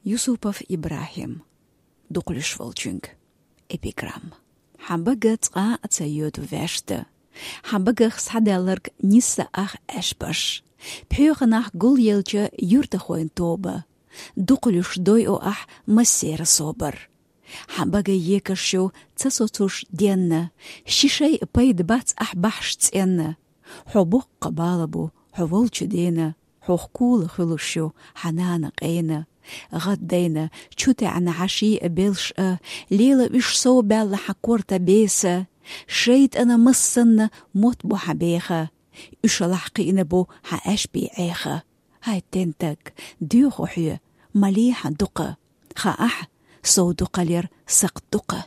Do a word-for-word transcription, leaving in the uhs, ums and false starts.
Юсупов Ибрахим. Дукхалуш волчуьнга. Эпиграмма. Хьан бага цкъа а ца йоьду ваьшта. Хьан багах схьадаьлларг нисса ах аьшпаш. Пхьоьханах гулъелча юьртахойн тоба. Дукхалуш дойо ахь массера собар. Хьан бага екаш ю ца соцуш денна. Ши шай пайда бац ахь бахьаш цӀенна. Хьо боккха бала бу, хьо волчу дена, хьох кула хуьлуш ю хьан нана къена. ГӀаддайна, чу таьӀна хьан шиъ а белш а, лела уьш сов баьлла хьан корта беса. ШайтӀана массанна мотт бу хьан беха. Уьшалахь кхиъна бу хьан аьшпий Ӏеха. ХӀай тентаг, доьху хьоь, ма ле хьан дукха. Хаахь, сов дукхалера сакхт дукха.